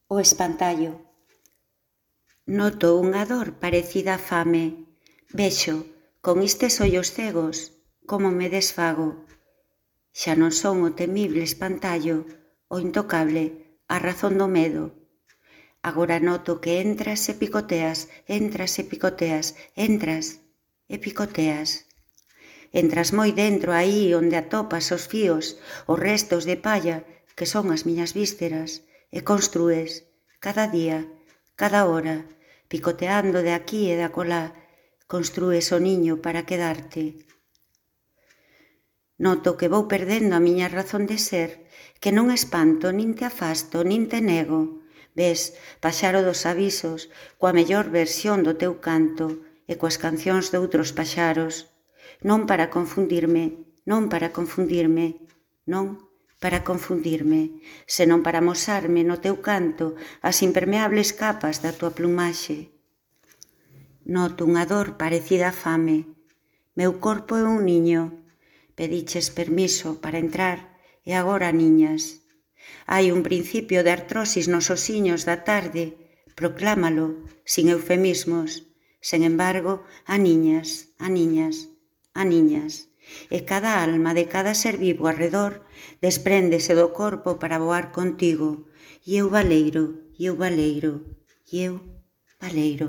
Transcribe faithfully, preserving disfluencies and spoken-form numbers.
O espantallo. Noto unha dor parecida á fame. Vexo, con estes ollos cegos, como me desfago. Xa non son o temible espantallo, o intocable, a razón do medo. Agora noto que entras e picoteas, entras e picoteas, entras e picoteas. Entras moi dentro aí onde atopas os fíos, os restos de palla que son as miñas vísceras, e construes, cada día, cada hora, picoteando de aquí e de acolá, construes o niño para quedarte. Noto que vou perdendo a miña razón de ser, que non espanto, nin te afasto, nin te nego. Ves, paxaro dos avisos, coa mellor versión do teu canto e coas cancións doutros paxaros. Non para confundirme, non para confundirme, non para confundirme, senón para amosarme no teu canto as impermeables capas da tua plumaxe. Noto unha dor parecida á fame. Meu corpo é un niño. Pediches permiso para entrar e agora niñas. Hai un principio de artrosis nos osiños da tarde, proclámalo, sin eufemismos. Sen embargo, a niñas, a niñas, a niñas. E cada alma de cada ser vivo arredor despréndese do corpo para voar contigo. E eu valeiro, e eu valeiro, e eu valeiro.